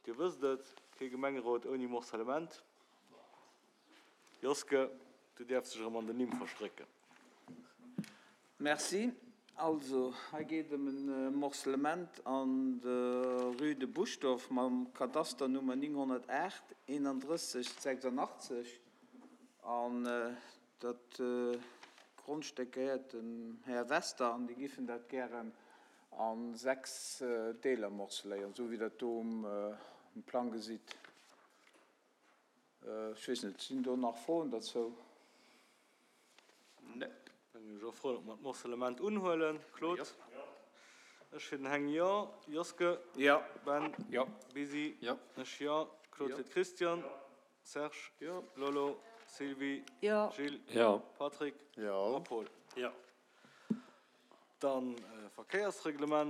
Dir wësst et, kee Gemengerot ouni Morcellement. Joske, du däerfs dech erëm an den Nimm verstrécken. Merci. Also, hei geet ëm e Morcellement an der Rue de Buschdorf mam Kadasternummer 908 31 86. An dat Grondstéck gehéiert dem Här Wester an déi giffen dat gären a 6 Deeler morceléieren, esou wéi Der et do um Plang gesitt. Ech weess net, sinn do nach Froen derzou? Nee. Da ginn ech och froen, ob mer d'Morcellement unhuelen. Claude? Jo. Ech fir den Heng, jo. Joske? Jo. Ben? Jo. Bisi? Jo. Ech, jo. Claude fir d'Christiane? Jo. Serge? Jo. Lolo? Sylvie? Jo. Gilles? Jo. Patrick? Jo. A Paul? Jo. Dann Verkéiersreglement.